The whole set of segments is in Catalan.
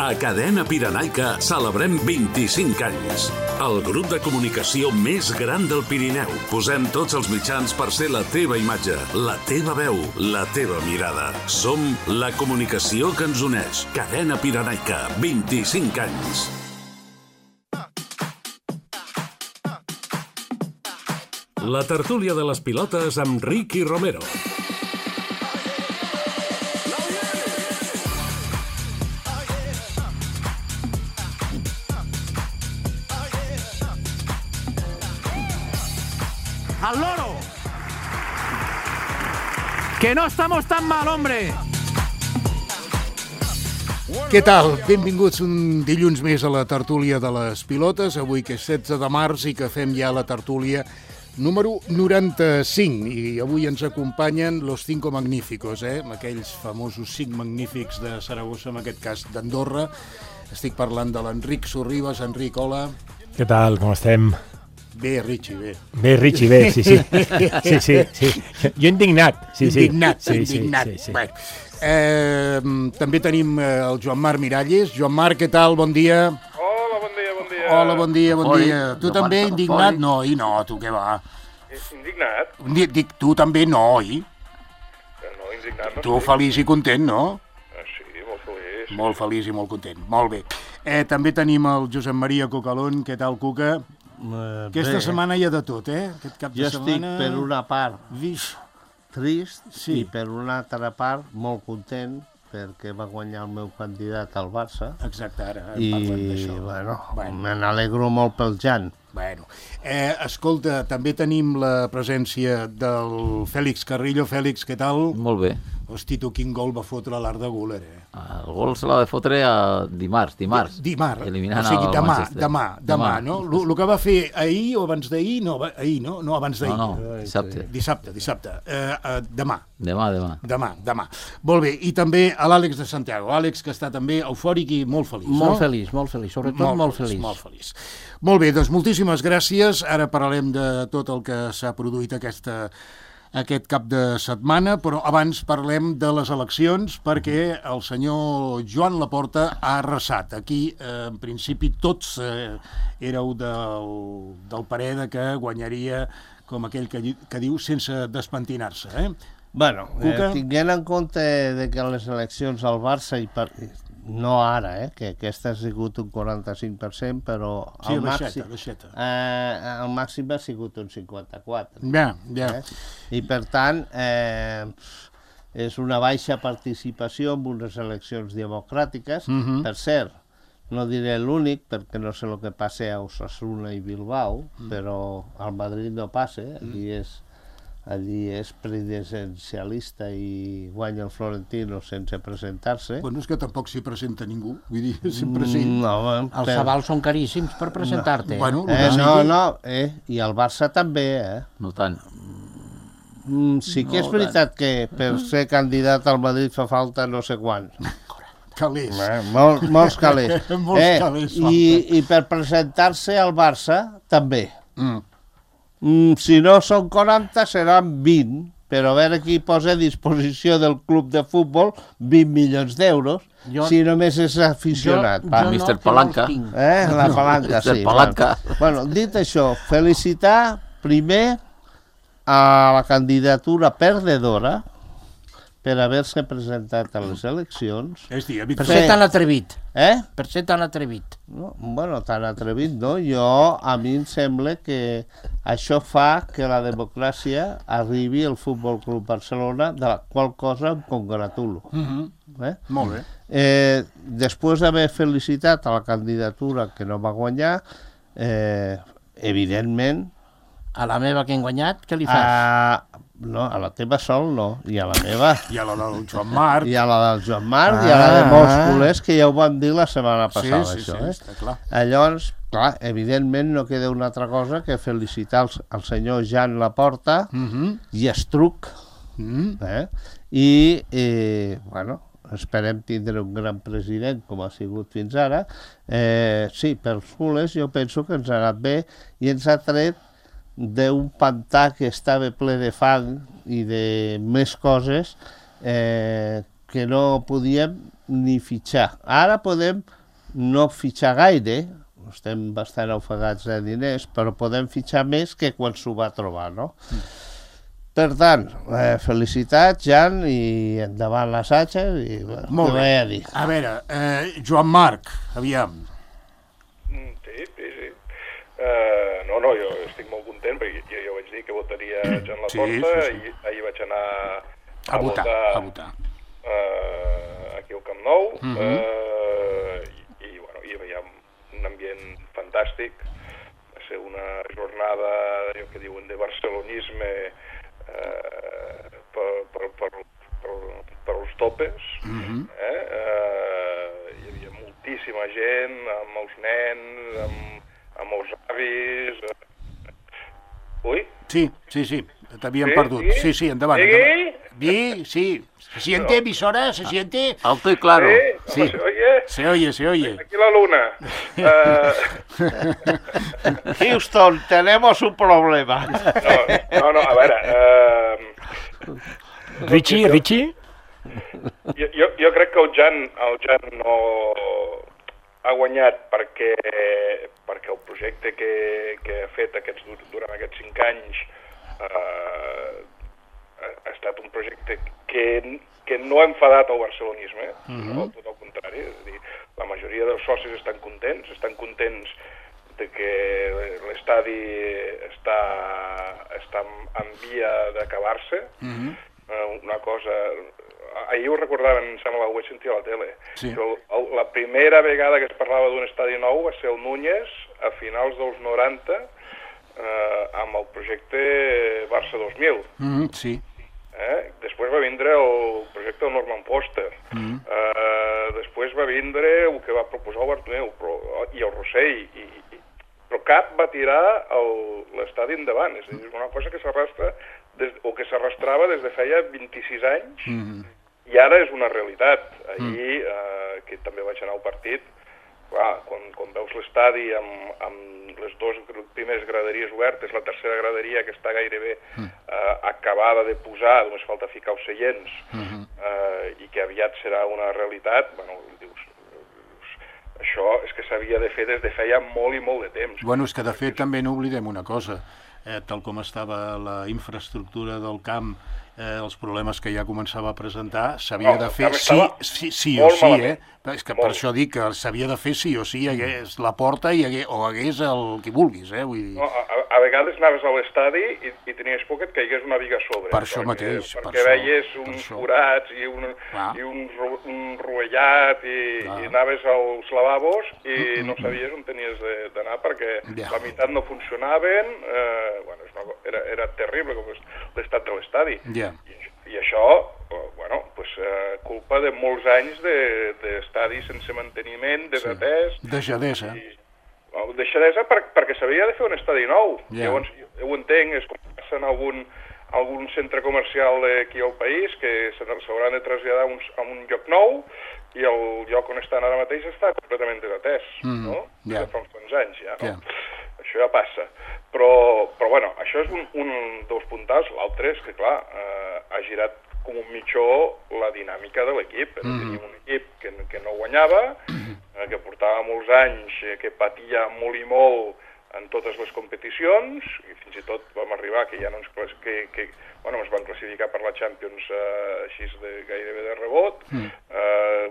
A Cadena Pirenaica celebrem 25 anys. El grup de comunicació més gran del Pirineu. Posem tots els mitjans per ser la teva imatge, la teva veu, la teva mirada. Som la comunicació que ens uneix. Cadena Pirenaica, 25 anys. La tertúlia de les pilotes amb Ricky Romero. ¡Al loro! ¡Que no estamos tan mal, hombre! Què tal? Benvinguts un dilluns més a la tertúlia de les pilotes, avui que és 16 de març i que fem ja la tertúlia número 95. I avui ens acompanyen los cinco magníficos, aquells famosos 5 magnífics de Saragossa, en aquest cas d'Andorra. Estic parlant de l'Enric Sorribas. Enric, hola. Què tal, com estem? Bé, Richie, bé. Bé, Richie, bé, sí. Sí. Jo indignat. Indignat. Sí. Bueno, també tenim el Joan Marc Miralles. Joan Marc, què tal? Bon dia. Hola, bon dia. Hola, bon dia. Tu també, indignat? No, tu què va? Indignat? Dic, tu també no, oi? No, indignat no. Tu feliç i content, no? Sí, molt feliç. Molt feliç i molt content, molt bé. També tenim el Josep Maria Cocalón. Què tal, Cuca? Aquesta setmana hi ha de tot, aquest cap de setmana... Jo estic per una part trist sí. I per una altra part molt content perquè va guanyar el meu candidat al Barça. Exacte, ara parlem d'això. I, bueno, me n'alegro molt pel Jan. Bueno, escolta, també tenim la presència del Fèlix Carrillo. Fèlix, què tal? Molt bé. Hosti, tu quin gol va fotre l'Arda Güler, El gol se l'ha de fotre dimarts. Eliminant demà, no? El que va fer ahir o abans d'ahir, no, ahir, no? No, abans d'ahir. No, dissabte. Demà. Demà. Molt bé, i també a l'Àlex de Santiago. Àlex, que està també eufòric i molt feliç, no? Molt feliç, sobretot molt feliç. Molt feliç. Molt bé, doncs moltíssimes gràcies. Ara parlarem de tot el que s'ha produït aquest cap de setmana, però abans parlem de les eleccions perquè el senyor Joan Laporta ha arrasat. Aquí, en principi, tots éreu del parer de que guanyaria, com aquell que diu, sense despentinar-se. Bueno, tinguent en compte de que les eleccions al Barça no ara, que aquesta ha sigut un 45%, però sí, el màxim ha sigut un 54%. Ja. I per tant, és una baixa participació en unes eleccions democràtiques. Per cert, no diré l'únic, perquè no sé el que passa a Osasuna i Bilbao, però al Madrid no passa, allí és presidencialista i guanya el Florentino sense presentar-se. Bueno, és que tampoc s'hi presenta ningú, vull dir, sempre sí. Els avals són caríssims per presentar-te. I el Barça també, No tant. Sí que és veritat que per ser candidat al Madrid fa falta no sé quants. Calés. Molts calés. Calés. I per presentar-se al Barça també. Si no són 40, seran 20, però a veure qui posa a disposició del club de futbol 20 milions d'euros, si només és aficionat. Mr. Palanca. La palanca, sí. Bueno, dit això, felicitar primer a la candidatura perdedora per haver-se presentat a les eleccions. Per ser tan atrevit. Per ser tan atrevit. Bueno, tan atrevit no. A mi em sembla que això fa que la democràcia arribi al Futbol Club Barcelona, de la qual cosa em congratulo. Molt bé. Després d'haver felicitat a la candidatura que no va guanyar, evidentment... A la meva que hem guanyat, què li fas? No, a la teva sol no, i a la meva... I a la del Joan Marc. I a la del Joan Marc, i a la de molts culers, que ja ho vam dir la setmana passada, això. Sí, està clar. Llavors, clar, evidentment no queda una altra cosa que felicitar el senyor Joan Laporta i Estruc. Bueno, esperem tindre un gran president com ha sigut fins ara. Sí, pels culers jo penso que ens ha anat bé i ens ha tret d'un pantà que estava ple de fang i de més coses que no podíem ni fitxar. Ara podem no fitxar gaire, estem bastant ofegats de diners, però podem fitxar més que quan s'ho va trobar, no? Per tant, felicitats, Jan, i endavant l'assaig, i bueno, Molt bé. A veure, Joan Marc, aviam. Sí. No, jo estic molt content, perquè jo vaig dir que votaria Joan Laporta, i ahir vaig anar a votar aquí al Camp Nou, i hi havia un ambient fantàstic. Va ser una jornada, allò que diuen, de barcelonisme, per als topes. Hi havia moltíssima gent, amb els nens, amb els avis. Ui? Sí, t'havíem perdut. Sí, endavant. Sí. ¿Se siente, emisora? ¿Se siente? Alto y claro. Sí. ¿Se oye? Aquí la luna. Houston, tenemos un problema. No, a veure... Richie? Jo crec que el Jan no ha guanyat perquè el projecte que ha fet durant aquests 5 anys ha estat un projecte que no ha enfadat el barcelonisme, no? Tot el contrari, és a dir, la majoria dels socis estan contents de que l'estadi està en via d'acabar-se. Una cosa... Ahir ho recordaven, em sembla, ho vaig sentir a la tele. Sí. La primera vegada que es parlava d'un estadi nou va ser el Núñez, a finals dels 90, amb el projecte Barça 2000. Sí. Després va vindre el projecte del Norman Foster. Després va vindre el que va proposar el Bartomeu i el Rossell. Però cap va tirar l'estadi endavant. És a dir, és una cosa que s'arrastrava des de feia 26 anys, i ara és una realitat. Ahir, que també vaig anar al partit, clar, quan veus l'estadi amb les 2 primeres graderies obertes, la tercera graderia que està gairebé acabada de posar, només falta ficar els seients, i que aviat serà una realitat, bueno, dius, això és que s'havia de fer des de feia molt i molt de temps. Bueno, és que de fet també no oblidem una cosa, tal com estava la infraestructura del camp, els problemes que ja començava a presentar, s'havia de fer sí o sí, és que per això dic que s'havia de fer sí o sí, hagués la porta o hagués el que vulguis, vull dir... A vegades anaves a l'estadi i tenies por que et caigués una viga a sobre. Per això mateix. Perquè veies uns forats i un rovellat i anaves als lavabos i no sabies on tenies d'anar perquè la meitat no funcionaven, era terrible com l'estat de l'estadi. I això, culpa de molts anys d'estadi sense manteniment, desatès... Deixadesa. Deixadesa perquè s'havia de fer un estadi nou. Llavors, jo ho entenc, és com passa en algun centre comercial d'aquí al país, que s'hauran de traslladar a un lloc nou i el lloc on estan ara mateix està completament desatès, no? De fa uns quants anys, ja, no? Això ja passa. Però bueno, això és un dels puntals. L'altre és que, clar, ha girat com un mitjó la dinàmica de l'equip. Teníem un equip que no guanyava, que portava molts anys, que patia molt i molt en totes les competicions, i fins i tot vam arribar que ja no ens van classificar per la Champions així gairebé de rebot.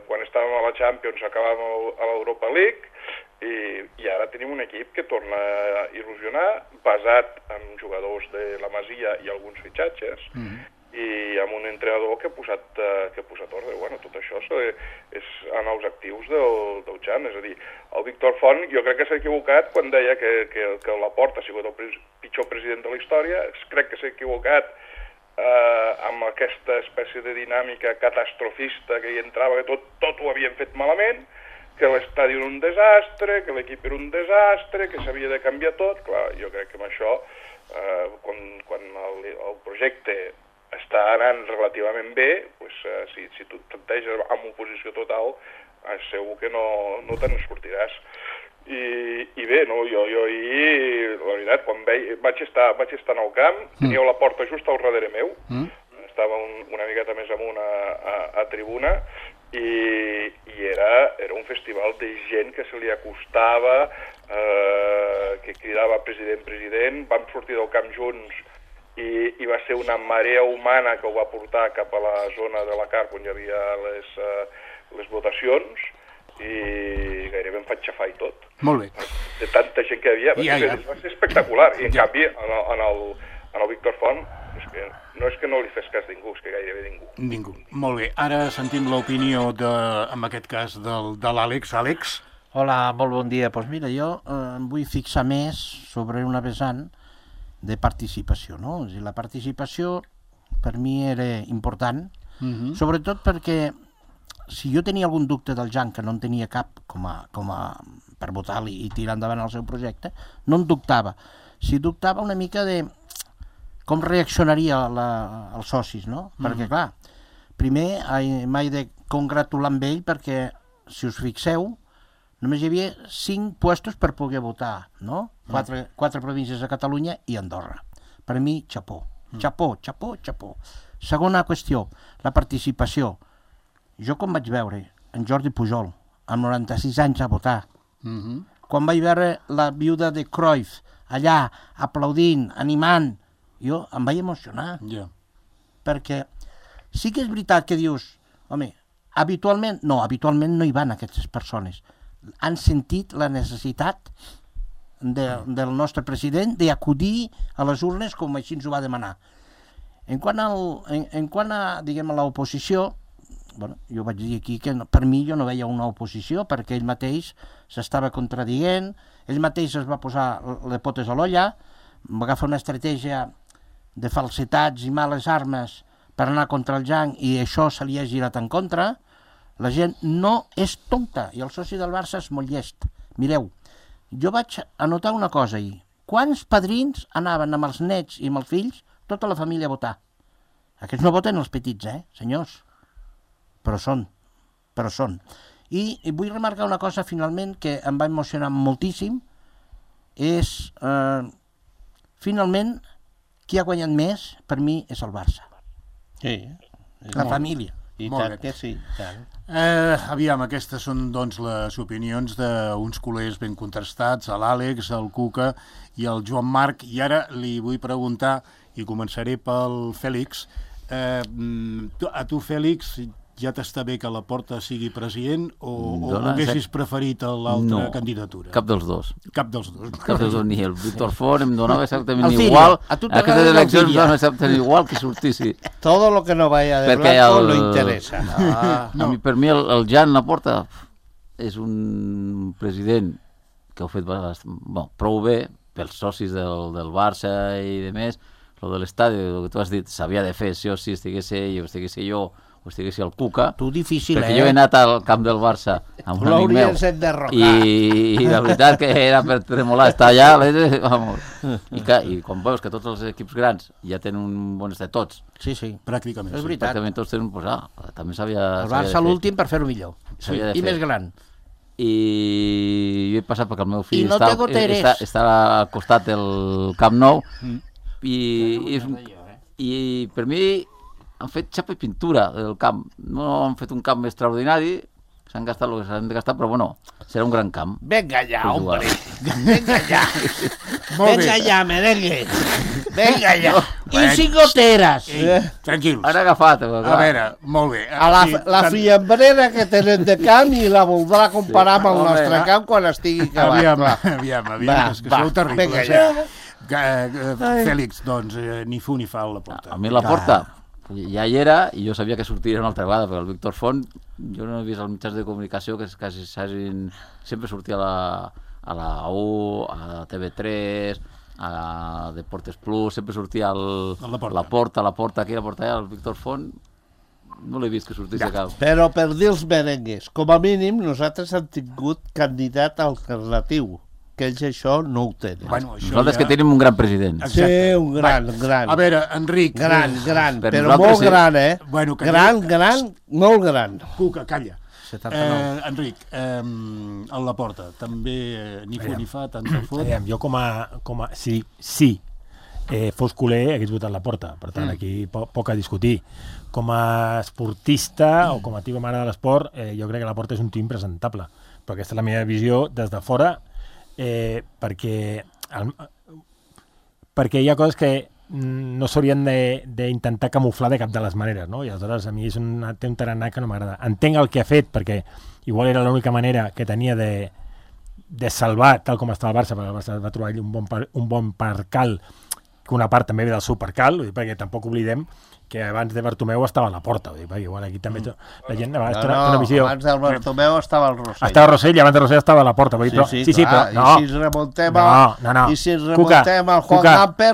Quan estàvem a la Champions acabàvem a l'Europa League, i ara tenim un equip que torna a il·lusionar, basat en jugadors de la Masia i alguns fitxatges, i amb un entrenador que ha posat ordre. Bueno, tot això és en els actius del Jan. És a dir, el Víctor Font jo crec que s'ha equivocat quan deia que Laporta ha sigut el pitjor president de la història. Crec que s'ha equivocat amb aquesta espècie de dinàmica catastrofista que hi entrava, que tot ho havien fet malament, que l'estadi era un desastre, que l'equip era un desastre, que s'havia de canviar tot. Clar, jo crec que amb això, quan el projecte està anant relativament bé, si tu et planteges amb oposició total, segur que no te'n sortiràs. I bé, jo ahir, la veritat, quan vaig estar en el camp, tenia la porta just al darrere meu, estava una miqueta més amunt a tribuna, i era un festival de gent que se li acostava, que cridava president, president. Vam sortir del camp junts i va ser una marea humana que ho va portar cap a la zona de la Carp on hi havia les votacions, i gairebé em faig xafar i tot. Molt bé. De tanta gent que hi havia. Va ser espectacular. I en canvi, en el Víctor Font, no és que no li fes cas ningú, és que gairebé ningú. Ningú. Molt bé. Ara sentim l'opinió, en aquest cas, de l'Àlex. Àlex? Hola, molt bon dia. Doncs mira, jo em vull fixar més sobre una vessant de participació, no? O sigui, la participació per mi era important, sobretot perquè si jo tenia algun dubte del Jan, que no en tenia cap per votar-li i tirar endavant el seu projecte, no en dubtava. Si dubtava una mica de com reaccionaria els socis, no? Perquè, clar, primer m'he de congratular amb ell perquè, si us fixeu, només hi havia 5 puestos per poder votar, no? 4 províncies a Catalunya i Andorra. Per mi, xapó. Xapó, xapó, xapó. Segona qüestió, la participació. Jo com vaig veure en Jordi Pujol, amb 96 anys a votar, quan vaig veure la viuda de Cruyff allà, aplaudint, animant, jo em vaig emocionar. Perquè sí que és veritat que dius, home, habitualment no hi van aquestes persones. Han sentit la necessitat del nostre president d'acudir a les urnes com així ens ho va demanar. En quant a diguem, a l'oposició, bueno, jo vaig dir aquí que per mi jo no veia una oposició perquè ell mateix s'estava contradient, ell mateix es va posar les potes a l'olla, va agafar una estratègia de falsitats i males armes per anar contra el Jan i això se li ha girat en contra. La gent no és tonta i el soci del Barça és molt llest. Mireu, jo vaig anotar una cosa ahir. Quants padrins anaven amb els nets i amb els fills, tota la família a votar? Aquests no voten els petits, senyors? Però són. I vull remarcar una cosa, finalment, que em va emocionar moltíssim, és, finalment, qui ha guanyat més, per mi, és el Barça. Sí. La família. I tant que sí, tant. Aviam, aquestes són doncs les opinions d'uns culers ben contrastats, l'Àlex, el Cuca i el Joan Marc, i ara li vull preguntar, i començaré pel Fèlix, a tu, Fèlix, ja t'està bé que Laporta sigui president o haguessis preferit l'altra candidatura? Cap dels dos. Cap dels dos. Cap dels dos, ni el Víctor Font em donava exactament igual. Aquestes eleccions em donen exactament igual que sortissi. Todo lo que no vaya de blanco lo interesa. Per mi el Jan Laporta és un president que ho ha fet prou bé pels socis del Barça i de més. Lo de l'estadi, el que tu has dit, s'havia de fer, sí o sí, estigués ell o estigués jo o estigués el Cuca. Tu difícil, perquè jo he anat al camp del Barça amb un amic meu i la veritat que era per tremolar estar allà, i quan veus que tots els equips grans ja tenen un bon estat, tots. Sí, pràcticament. És veritat. Pràcticament tots tenen, també s'havia de fer. El Barça l'últim per fer-ho millor. I més gran. I jo he passat perquè el meu fill està al costat del Camp Nou i per mi han fet xapa i pintura del camp. No han fet un camp extraordinari, s'han gastat el que s'han de gastar, però bueno, serà un gran camp. Venga ya, hombre. Venga ya. Venga ya, merengue. Venga ya. I sin goteres. Tranquils. Han agafat. A veure, molt bé. La fiambrera que tenen de camp i la voldrà comparar amb el nostre camp quan estigui acabat. Aviam, és que sou terribles. Fèlix, doncs, ni fu ni fa a Laporta. A mi Laporta ja hi era i jo sabia que sortiria una altra vegada, perquè el Víctor Font, jo no he vist els mitjans de comunicació que quasi sempre sortia a la U, a TV3, a Deportes Plus, sempre sortia Laporta aquí, Laporta allà, el Víctor Font, no l'he vist que sortís a cap. Però per dir els merengues, com a mínim nosaltres hem tingut candidat alternatiu, que ells això no ho tenen. Nosaltres que tenim un gran president. Sí, un gran. A veure, Enric... Gran, però molt gran, Gran, molt gran. Cuca, calla. Enric, el Laporta, també ni fu ni fa, tant de fot. Jo com a... Sí. fos culer hagués votat la Porta. Per tant, aquí poc a discutir. Com a esportista o com a tio que m'agrada l'esport, jo crec que la Porta és un tio impresentable. Però aquesta és la meva visió des de fora, perquè hi ha coses que no s'haurien d'intentar camuflar de cap de les maneres, no? I aleshores a mi té un tarannà que no m'agrada. Entenc el que ha fet, perquè igual era l'única manera que tenia de salvar, tal com estava el Barça, perquè el Barça va trobar un bon percal, que una part també ve del seu percal, perquè tampoc oblidem que abans de Bartomeu estava a la Porta, perquè igual aquí també la gent té una visió... abans del Bartomeu estava el Rossell. Estava el Rossell i abans del Rossell estava a la Porta. Sí, però no. I si ens remuntem al Juan Gamper,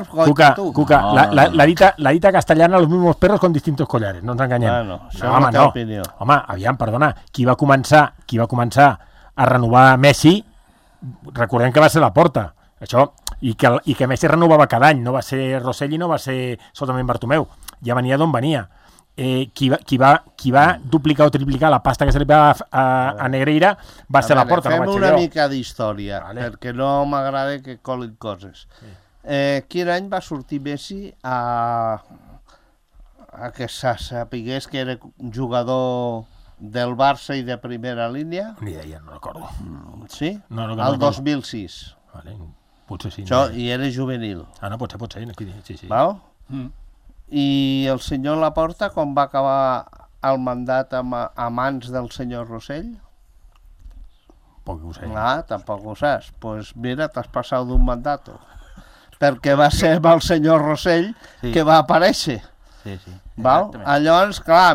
Cuca, la dita castellana, los mismos perros con distintos collares, no ens enganyem. Bueno, això és la teva opinió. Home, aviam, perdona, qui va començar a renovar Messi, recordem que va ser la Porta, això, i que Messi renovava cada any, no va ser Rossell i no va ser solament Bartomeu, ja venia d'on venia. Qui va duplicar o triplicar la pasta que se li va a Negreira va ser la Porta, no vaig ser jo. Fem una mica d'història, perquè no m'agrada que colin coses. Quin any va sortir Messi a que se sapigués que era jugador del Barça i de primera línia? Ni idea, no recordo. Sí? El 2006. Vale, potser sí. Això, i era juvenil. No, pot ser. Sí. Val? I el senyor Laporta, quan va acabar el mandat a mans del senyor Rossell? Poc ho sé. Tampoc ho saps. Doncs mira, t'has passat d'un mandat. Perquè va ser amb el senyor Rossell que va aparèixer. Sí. Val? Llavors, clar,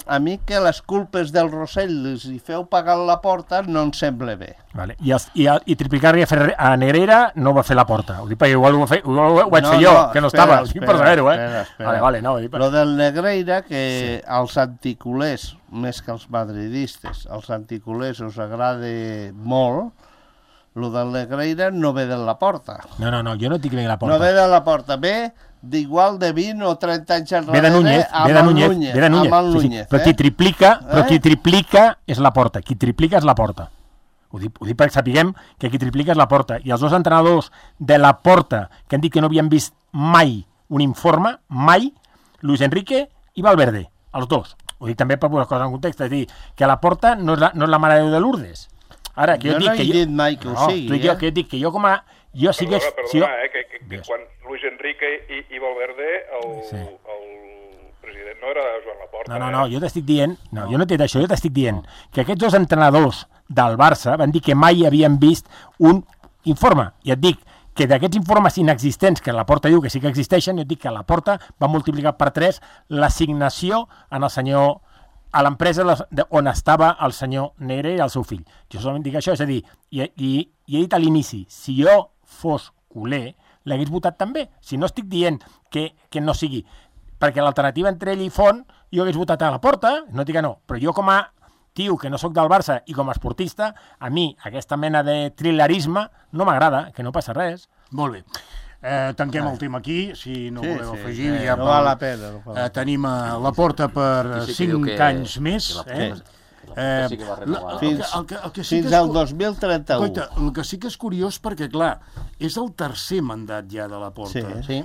a mi que les culpes del Rossell les hi feu pagar la Porta no em sembla bé. Vale. I triplicar-li a Negreira no va fer la Porta. Ho dic perquè igual ho vaig fer jo, que no estava. Per saber-ho, Vale, no. Lo del Negreira, que als anticulers, més que als madridistes, als anticulers us agrada molt, lo del Negreira no ve de la Porta. No, jo no dic que ve de la Porta. No ve de la Porta, ve d'igual de 20 o 30 anys enrere ve de Núñez. Sí. Però qui triplica és la Porta. Qui triplica és la Porta. Ho dic perquè sapiguem que qui triplica és la Porta. I els dos entrenadors de la Porta que han dit que no havien vist mai un informe, mai, Luis Enrique i Valverde, els dos. Ho dic també per posar coses en context, és a dir, que la Porta no és la Mare de Déu de Lourdes. Ara, que jo no he dit mai que ho sigui. Que dic que jo com a... Perdona, que quan Luis Enrique i Valverde, el president no era Joan Laporta. No, jo t'estic dient... No, jo no t'he dit això, jo t'estic dient que aquests dos entrenadors del Barça van dir que mai havien vist un informe. I et dic que d'aquests informes inexistents, que la Porta diu que sí que existeixen, jo et dic que la Porta va multiplicar per 3 l'assignació a l'empresa on estava el senyor Negre i el seu fill. Jo solament dic això, és a dir, i he dit a l'inici, si jo fos culer, l'hagués votat també. Si no estic dient que no sigui, perquè l'alternativa entre ell i Font, jo hagués votat a la Porta, no dic que no, però jo com a tio que no sóc del Barça i com a esportista, a mi aquesta mena de trilerisme no m'agrada, que no passa res. Molt bé. Tanquem el tema aquí, si no voleu afegir. No val la pena. Tenim a la Porta per 5 anys més. Fins al 2031. Coita, el que sí que és curiós perquè, clar, és el tercer mandat ja de la Porta. Sí.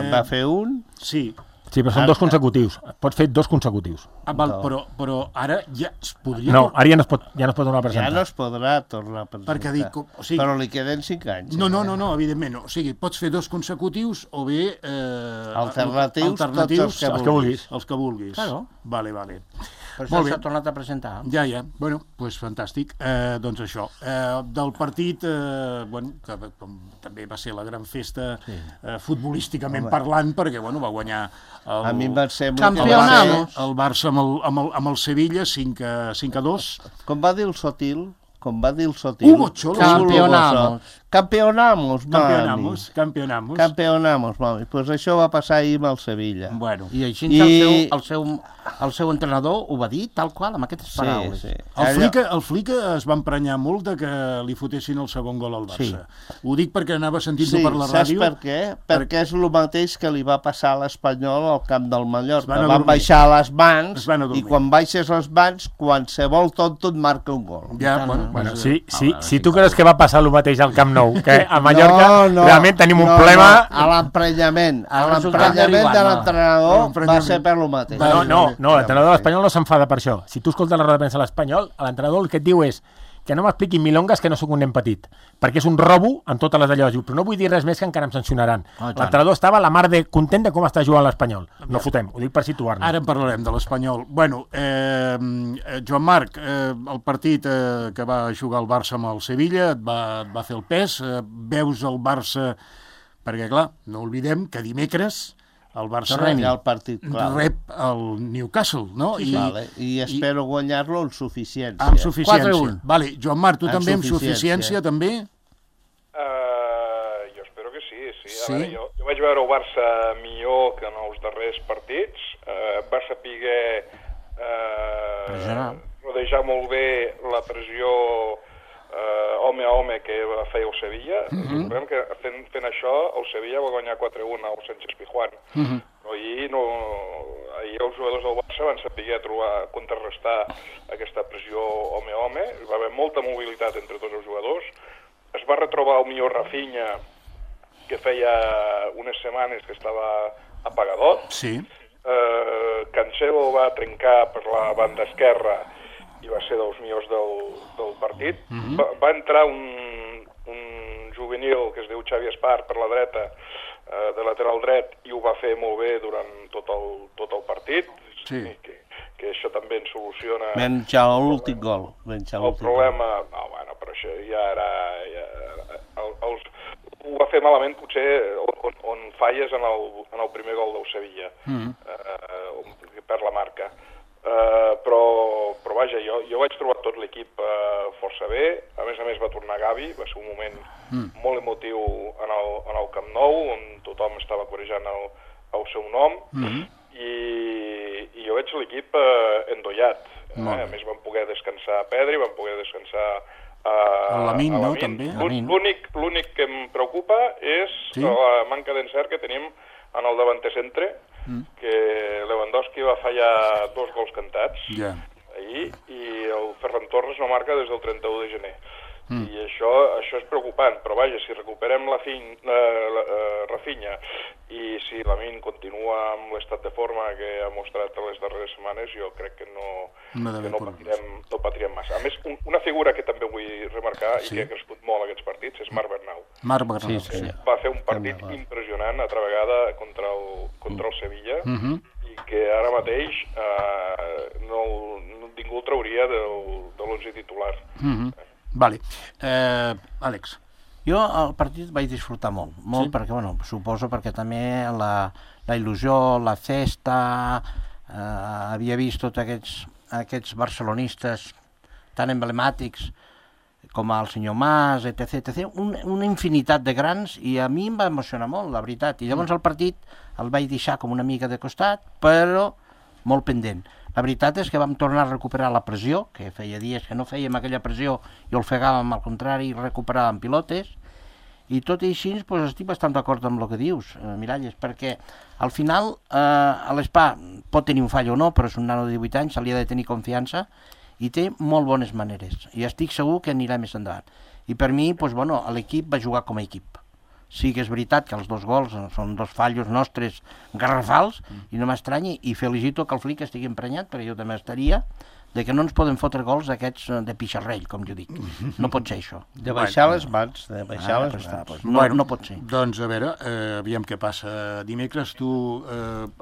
Va fer un. Sí. Sí, però són 2 consecutius. Pots fer 2 consecutius. Val, però ara ja es podria... No, ara ja no es pot tornar a presentar. Ja no es podrà tornar a presentar. Perquè dic, però li queden 5 anys. No, evidentment no. O sigui, pots fer 2 consecutius o bé... Alternatius, tots els que vulguis. Els que vulguis. Claro. Vale. Per això s'ha tornat a presentar. Ja. Bueno, doncs fantàstic. Doncs això. Del partit, que també va ser la gran festa futbolísticament parlant, perquè va guanyar a mi em va semblar el Barça amb el Sevilla 5-2. Com va dir el Sotil? Hugo Cholo. Campeonamos, mami. Pues això va passar ahir amb el Sevilla. Bueno. I així el seu entrenador ho va dir tal qual, amb aquestes paraules. Sí. El Flick es va emprenyar molt de que li fotessin el segon gol al Barça. Sí. Ho dic perquè anava sentint-ho per la ràdio. Saps per què? Perquè és el mateix que li va passar a l'Espanyol al camp del Mallorca. Van baixar les mans i quan baixes les mans, qualsevol tonto et marca un gol. Ja, bueno, Bueno, si tu creus que va passar el mateix al Camp Nou, que a Mallorca realment tenim un problema... A l'emprenyament de l'entrenador va ser per lo mateix. No, l'entrenador de l'Espanyol no s'enfada per això. Si tu escoltes la roda de premsa a l'Espanyol, l'entrenador el que et diu és que no m'expliquin milongas que no sóc un nen petit, perquè és un robo en totes les d'allò. Però no vull dir res més que encara em sancionaran. L'entrenador estava a la mar de content de com està jugant l'Espanyol. No fotem, ho dic per situar-nos. Ara en parlarem de l'Espanyol. Bueno, Joan Marc, el partit que va jugar el Barça amb el Sevilla et va fer el pes. Veus el Barça... Perquè, clar, no oblidem que dimecres el Barça rep el Newcastle, no? I espero guanyar-lo amb suficiència. Amb suficiència. Vale. Joan Marc, tu també amb suficiència, també? Jo espero que sí. A veure, jo vaig veure el Barça millor que en els darrers partits. Va saber rodejar molt bé la pressió home a home que va fer el Sevilla. Recordem que fent això el Sevilla va guanyar 4-1 al Sánchez Pizjuán. Però ahir els jugadors del Barça van saber contrarrestar aquesta pressió home a home. Hi va haver molta mobilitat entre tots els jugadors. Es va retrobar el millor Rafinha, que feia unes setmanes que estava apagadot. Sí. Cancelo va trencar per la banda esquerra i va ser dels millors del partit. Va entrar un juvenil que es diu Xavi Espart per la dreta, de lateral dret, i ho va fer molt bé durant tot el partit. Sí. Que això també ens soluciona... Menys l'últim gol. El problema... No, bueno, però això ja era... Ho va fer malament potser on falles en el primer gol del Sevilla, per la marca. Però vaja, jo vaig trobar tot l'equip força bé. A més va tornar Gavi, va ser un moment molt emotiu en el Camp Nou, on tothom estava corejant el seu nom, i jo veig l'equip endollat. A més van poder descansar a Pedri, van poder descansar a Lamine, no, també? L'únic que em preocupa és la manca d'encert que tenim en el davanter centre, que Lewandowski va fallar 2 gols cantats ahir, i el Ferran Torres no marca des del 31 de gener. I això és preocupant, però vaja, si recuperem Rafinha i si Lamine continua amb l'estat de forma que ha mostrat les darreres setmanes, jo crec que no patirem massa. A més, una figura que també vull remarcar i que ha crescut molt aquests partits és Marc Bernau. Marc Bernau, sí. Va fer un partit impressionant altra vegada contra el Sevilla, i que ara mateix ningú el trauria de l'11 titular. Vale. Àlex. Jo el partit vaig disfrutar molt, perquè, suposo perquè també la il·lusió, la festa, havia vist tots aquests barcelonistes tan emblemàtics com el senyor Mas, etc. Una infinitat de grans, i a mi em va emocionar molt, la veritat. I llavors el partit el vaig deixar com una mica de costat, però molt pendent. La veritat és que vam tornar a recuperar la pressió, que feia dies que no fèiem aquella pressió i ofegàvem, al contrari, recuperàvem pilotes, i tot i així estic bastant d'acord amb el que dius, Miralles, perquè al final l'Espà pot tenir un fall o no, però és un nano de 18 anys, se li ha de tenir confiança i té molt bones maneres, i estic segur que anirà més endavant. I per mi, l'equip va jugar com a equip. Sí que és veritat que els 2 gols són 2 fallos nostres garrafals, i no m'estranya, i felicito que el Flick estigui emprenyat, perquè jo també estaria, de que no ens poden fotre gols aquests de pixarrell, com jo dic. No pot ser això. De baixar les mans, No pot ser. Doncs a veure, aviam què passa dimecres. Tu,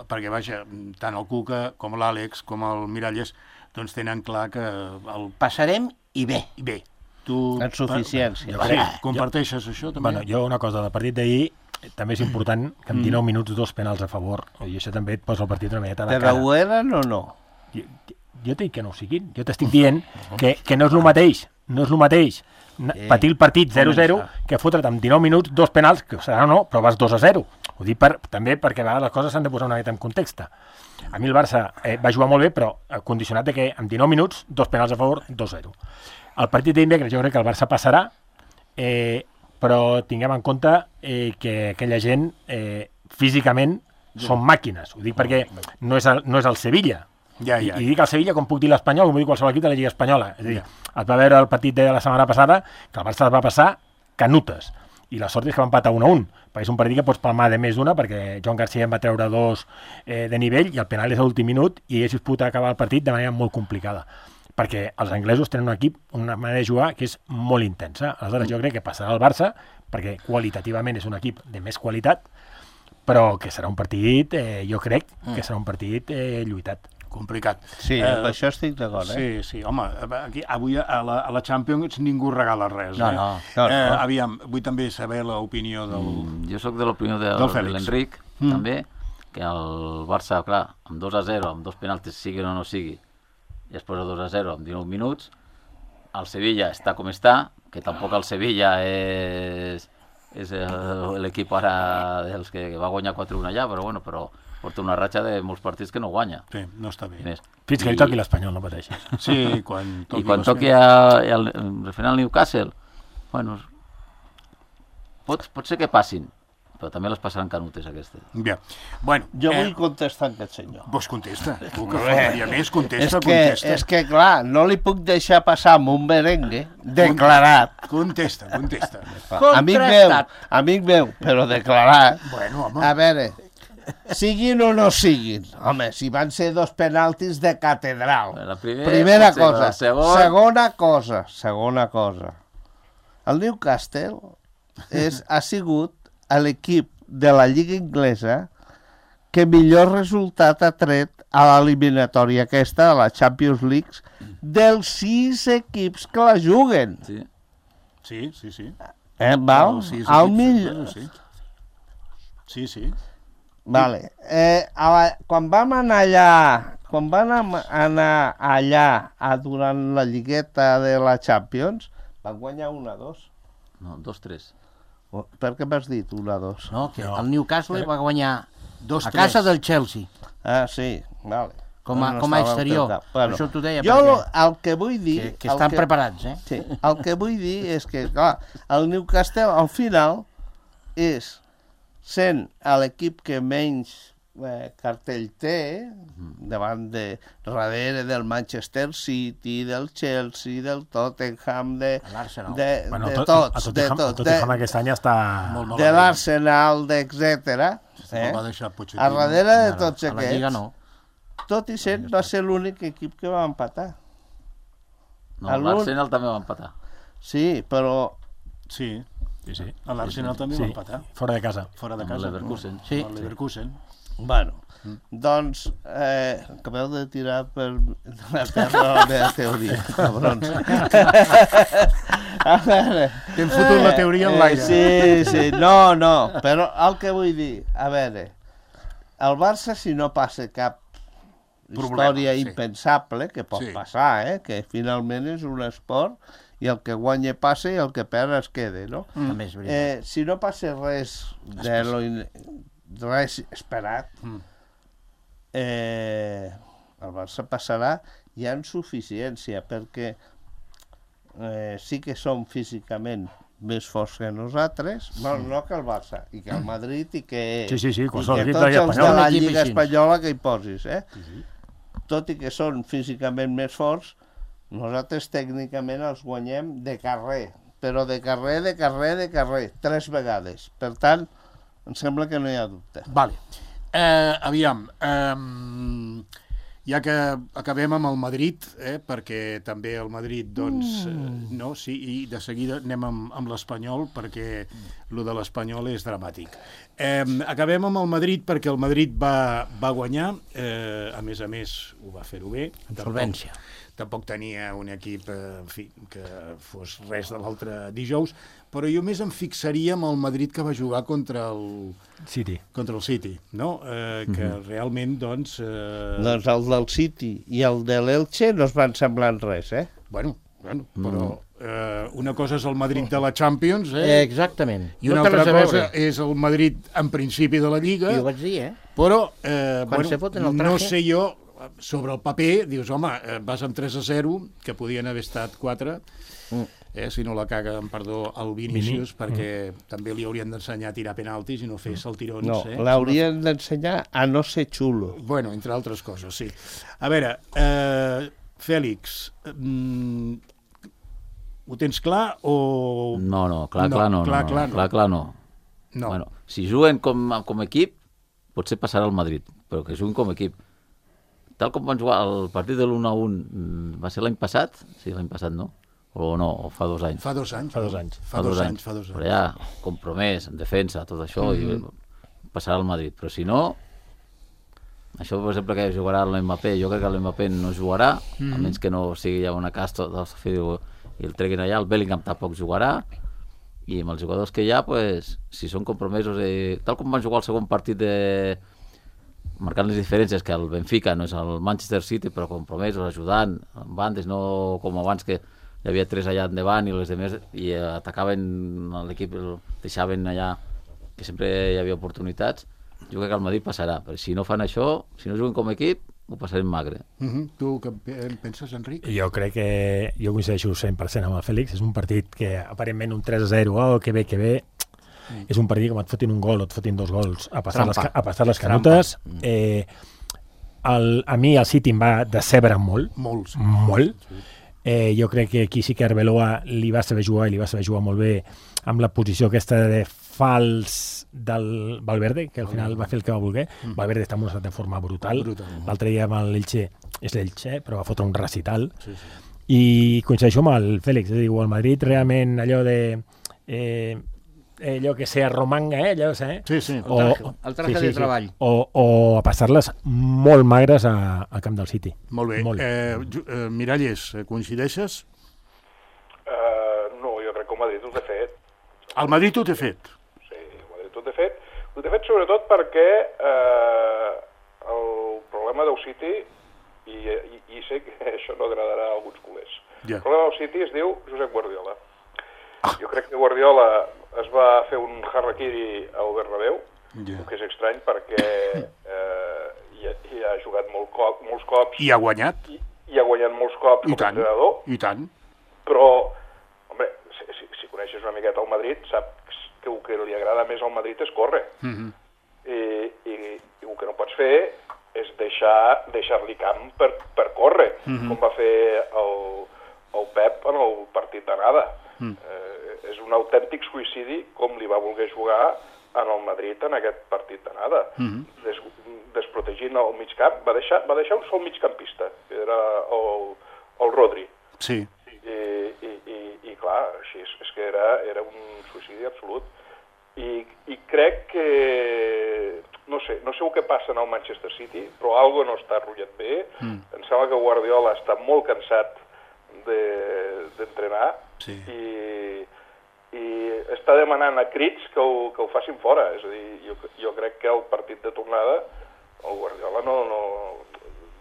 perquè vaja, tant el Cuca com l'Àlex com el Miralles doncs tenen clar que el passarem i bé. I bé. En suficiència. Comparteixes això també? Bueno, jo una cosa, del partit d'ahir també és important que en 19 minuts 2 penals a favor, i això també et posa el partit una miqueta a la cara. Però ho eren o no? Jo t'he dit que no ho siguin. Jo t'estic dient que no és el mateix, patir el partit 0-0 que fotre't en 19 minuts 2 penals, que serà o no, però vas 2-0. Ho dic també perquè a vegades les coses s'han de posar una mica en context. A mi el Barça va jugar molt bé, però condicionat de que en 19 minuts 2 penals a favor, 2-0. El partit d'Invegres jo crec que el Barça passarà, però tinguem en compte que aquella gent físicament són màquines. Ho dic perquè no és el Sevilla, I dic el Sevilla com puc dir l'Espanyol, com puc dir qualsevol equip de la Lliga Espanyola. És a dir, es va veure el partit de la setmana passada que el Barça es va passar canutes. I la sort és que va empatar 1-1, perquè és un partit que pots palmar de més d'una, perquè Joan Garcia en va treure 2 de nivell i el penal és a l'últim minut i ells poden acabar el partit de manera molt complicada. Perquè els anglesos tenen un equip, una manera de jugar que és molt intensa. Aleshores jo crec que passarà al Barça, perquè qualitativament és un equip de més qualitat, però que serà un partit, jo crec que serà un partit lluitat. Complicat. Sí, amb això estic d'acord, Sí, home, aquí, avui a la Champions ningú regala res. No. Aviam, vull també saber l'opinió del... Jo sóc de l'opinió de l'Enric, també, que el Barça, clar, amb 2-0, amb 2 penaltis, sigui o no sigui, i es posa 2-0 amb 19 minuts, el Sevilla està com està, que tampoc el Sevilla és l'equip ara dels que va guanyar 4-1 allà, però bueno, porta una ratxa de molts partits que no guanya. Sí, no està bé. Fins que li toqui l'Espanyol, no pateixis. Sí, quan toqui... I quan toqui referent al Newcastle, bueno, pot ser que passin, però també les passaran canutes, aquestes. Bé, bueno... Jo vull contestar a aquest senyor. Doncs contesta. Tu que faltaria més, contesta. És que, clar, no li puc deixar passar amb un merengue declarat. Contesta. Amic meu, però declarat. Bueno, home. A veure, siguin o no siguin. Home, si van ser 2 penaltis de catedral. Primera cosa. Segona cosa. El Newcastle ha sigut l'equip de la Lliga Inglesa que millor resultat ha tret a l'eliminatòria aquesta de la Champions League dels 6 equips que la juguen. Sí. Val? Al millor... Sí. Vale. Quan vam anar allà durant la lligueta de la Champions, van guanyar 1-2. No, 2-3. Per què m'has dit 1-2? No, que el Newcastle va guanyar 2-3 a casa del Chelsea. Ah, sí, vale. Com a exterior. Bueno, això t'ho deia. Jo el que vull dir... Que estan preparats, Sí, el que vull dir és que, clar, el Newcastle al final és sent l'equip que menys cartell té davant darrere del Manchester City, del Chelsea, del Tottenham, de tots. Tottenham aquest any està... De l'Arsenal, etcètera. A darrere de tots aquests, tot i sent, va ser l'únic equip que va empatar. No, l'Arsenal també va empatar. Sí, però... Sí. L'Arsenal també va empatar. Fora de casa. El Leverkusen. Sí. El Leverkusen. Bueno, doncs acabeu de tirar per la terra la meva teoria, cabrons. A veure... T'hem fotut la teoria en l'aire. Sí, no, però el que vull dir, a veure, el Barça, si no passa cap història impensable, que pot passar, que finalment és un esport, i el que guanya passa i el que perd es queda, no? Si no passa res esperat, el Barça passarà ja en suficiència, perquè sí que som físicament més forts que nosaltres, no que el Barça, i que el Madrid, i que tots els de la Lliga Espanyola que hi posis, tot i que són físicament més forts, nosaltres tècnicament els guanyem de carrer, però de carrer, 3 vegades. Per tant, em sembla que no hi ha dubte. Vale. Aviam, ja que acabem amb el Madrid, perquè també el Madrid, doncs, no, sí, i de seguida anem amb l'Espanyol, perquè el de l'Espanyol és dramàtic. Acabem amb el Madrid perquè el Madrid va guanyar, a més, ho va fer-ho bé. Solvència. Tampoc tenia un equip que fos res de l'altre dijous, però jo més em fixaria en el Madrid que va jugar contra el City, no? Que realment, doncs... Doncs el del City i el de l'Elche no es van semblar en res, Bueno, però una cosa és el Madrid de la Champions, Exactament. I una altra cosa és el Madrid en principi de la Lliga. I ho vaig dir, Però, no sé jo... sobre el paper, dius, home, vas amb 3-0, que podien haver estat 4, si no la caga, amb perdó, el Vinícius, perquè també li haurien d'ensenyar a tirar penaltis i no fer saltirons. No, l'haurien d'ensenyar a no ser xulo. Bueno, entre altres coses, sí. A veure, Fèlix, ho tens clar o... No, clar no. Bueno, si juguen com equip, potser passarà al Madrid, però que juguen com equip. Tal com van jugar el partit de l'1-1, va ser l'any passat? Sí, l'any passat, no? O no, o fa 2 anys? Fa 2 anys. Fa dos anys. Però ja, compromès, en defensa, tot això, i passarà al Madrid. Però si no, això, per exemple, que jugarà l'Mbappé, jo crec que l'Mbappé no jugarà, almenys que no sigui ja una casta i el treguin allà, el Bellingham tampoc jugarà, i amb els jugadors que hi ha, pues, si són compromesos, tal com van jugar el segon partit marcant les diferències, que el Benfica no és el Manchester City, però compromesos, ajudant, en bandes, no com abans que hi havia 3 allà endavant i les demés, i atacaven l'equip, deixaven allà, que sempre hi havia oportunitats. Jo crec que el Madrid passarà, però si no fan això, si no juguen com a equip, ho passarem magre. Tu què penses, Enric? Jo crec que jo coincideixo 100% amb el Fèlix. És un partit que aparentment un 3-0, que bé. És un partit que et fotin un gol o et fotin 2 gols a passar les canutes. A mi el City em va decebre molt. Molt. Jo crec que aquí sí que Arbeloa li va saber jugar i li va saber jugar molt bé amb la posició aquesta de fals del Valverde, que al final va fer el que va voler. Valverde està en un estat de forma brutal. L'altre dia amb l'Elche, és l'Elche, però va fotre un recital. I coincideixo amb el Fèlix, és a dir, el Madrid realment allò de allò que sea romanga, allò, el traje de treball. O a passar-les molt magres al camp del City. Molt bé. Miralles, coincideixes? No, jo crec que el Madrid ho té fet. El Madrid ho té fet? Sí, el Madrid ho té fet. Ho té fet sobretot perquè el problema del City, i sé que això no agradarà a alguns culers, el problema del City es diu Josep Guardiola. Jo crec que Guardiola es va fer un harraquiri al Bernabéu, que és estrany perquè hi ha jugat molts cops. I ha guanyat. I ha guanyat molts cops com a entrenador. I tant. Però, home, si coneixes una miqueta el Madrid, saps que el que li agrada més al Madrid és córrer. I el que no pots fer és deixar-li camp per córrer, com va fer el Pep en el partit d'anada. És un autèntic suïcidi com li va voler jugar en el Madrid en aquest partit d'anada. Desprotegint el mig camp, va deixar un sol migcampista, que era el Rodri. Sí. I clar, així és que era un suïcidi absolut. I crec que no sé el que passa en el Manchester City, però alguna no està rotllat bé. Em sembla que Guardiola està molt cansat d'entrenar i està demanant a crits que ho facin fora. És a dir, jo crec que el partit de tornada el Guardiola no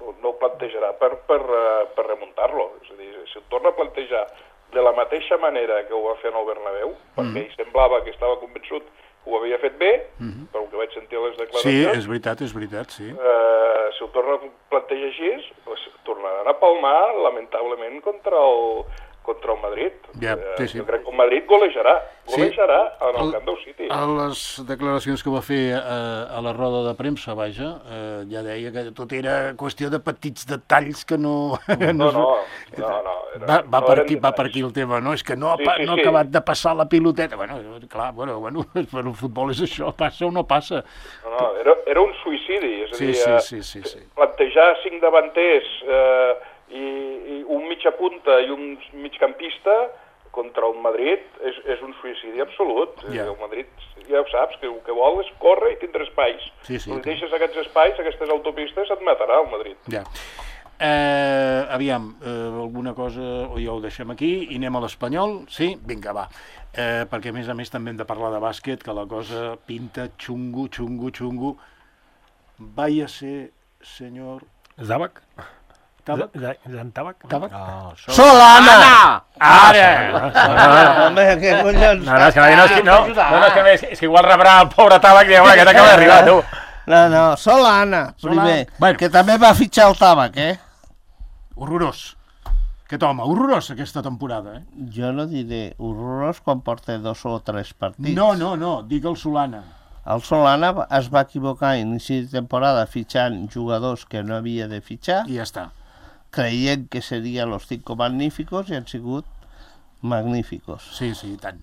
ho plantejarà per remuntar-lo. És a dir, si ho torna a plantejar de la mateixa manera que ho va fer en el Bernabéu, perquè ell semblava que estava convençut que ho havia fet bé, pel que vaig sentir a les declaracions. Sí, és veritat, sí. Si ho torna a plantejar així, tornaran a palmar, lamentablement, contra el Madrid. Jo crec que el Madrid golejarà en el camp del City. A les declaracions que va fer a la roda de premsa, vaja, ja deia que tot era qüestió de petits detalls que no... Va per aquí el tema, no? És que no ha acabat de passar la piloteta. Bueno, per el futbol és això, passa o no passa. No, era un suïcidi, és a dir, plantejar 5 davanters i un mitja punta i un migcampista contra el Madrid és un suïcidi absolut. El Madrid, ja ho saps, que el que vol és córrer i tindre espais. Si deixes aquests espais, aquestes autopistes, et matarà el Madrid. Aviam, alguna cosa o ja ho deixem aquí i anem a l'Espanyol? Sí? Vinga, va. Perquè a més també hem de parlar de bàsquet, que la cosa pinta xungo. Vaya ser, senyor... Zabac? Tabac? Solana! Ara! Home, què collons? És que igual rebrà el pobre Tabac i diu, aquest acaba d'arribar, tu. No, Solana, primer, Bueno. que també va fitxar el Tabac, Horrorós. Aquest home, horrorós aquesta temporada, Jo no diré horrorós quan porta 2 o 3 partits. No, dic el Solana. El Solana es va equivocar a inici de temporada fitxant jugadors que no havia de fitxar, I ja està. creient que serien los 5 magníficos i han sigut magníficos. Sí, i tant.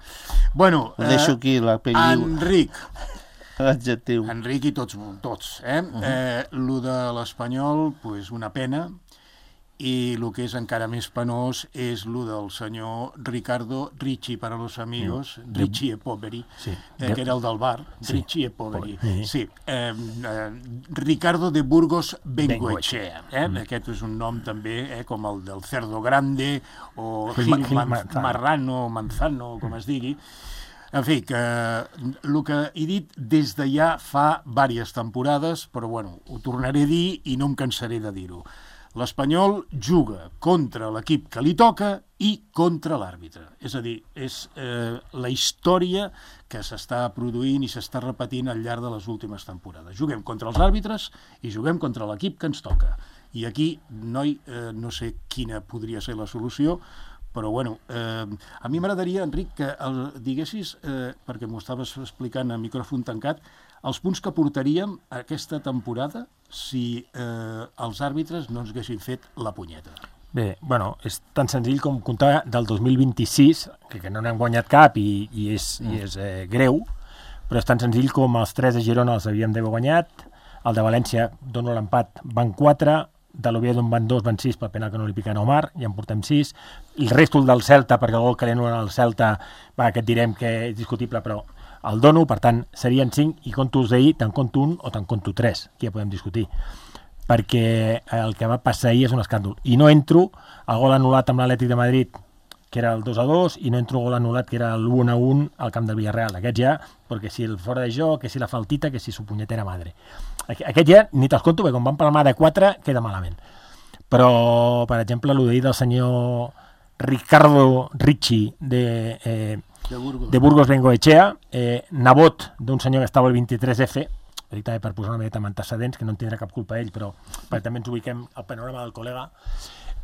Bueno, Ho deixo aquí, Enric l'adjectiu. i tots. Lo de l'Espanyol, pues una pena, i el que és encara més penós és lo del senyor Ricardo Ricci para los amigos, Ricci e Poveri, que era el del bar, Ricci e Poveri. Sí. Ricardo de Burgos Bengoechea. Aquest és un nom també com el del Cerdo Grande o Gil Marrano, Manzano, com es digui. En fi, que el que he dit des de ja fa diverses temporades, però bueno, ho tornaré a dir i no em cansaré de dir-ho. L'Espanyol juga contra l'equip que li toca i contra l'àrbitre. És a dir, és la història que s'està produint i s'està repetint al llarg de les últimes temporades. Juguem contra els àrbitres i juguem contra l'equip que ens toca. I aquí, no sé quina podria ser la solució, però bueno, a mi m'agradaria, Enric, que diguessis, perquè m'ho estaves explicant a micròfon tancat, els punts que portaríem aquesta temporada si els àrbitres no ens haguessin fet la punyeta. Bé, bueno, és tan senzill com comptar del 2026, que no n'han guanyat cap i és greu, però és tan senzill com els 3 de Girona els havíem d'haver guanyat, el de València dono l'empat, van 4, de l'Oviedo en van 2, van 6 pel penal que no li piquen a Omar, ja en portem 6, el resto del Celta, perquè el gol que l'han al Celta, aquest direm que és discutible, però el dono, per tant, serien 5, i compto els d'ahir, te'n compto 1 o te'n compto 3, que ja podem discutir, perquè el que va passar ahir és un escàndol. I no entro el gol anul·lat amb l'Atlètic de Madrid, que era el 2-2, i no entro el gol anul·lat, que era el 1-1 al camp del Villarreal. Aquest ja, perquè si el fora de joc, que si la faltita, que si su punyetera madre. Aquest ja ni te'ls conto, perquè com van palmar de 4, queda malament. Però, per exemple, el d'ahir del senyor Ricardo Ricci de Burgos Bengoechea, nebot d'un senyor que estava al 23F, dic també per posar una miqueta amb antecedents, que no en tindrà cap culpa ell, però perquè també ens ubiquem al panorama del col·lega.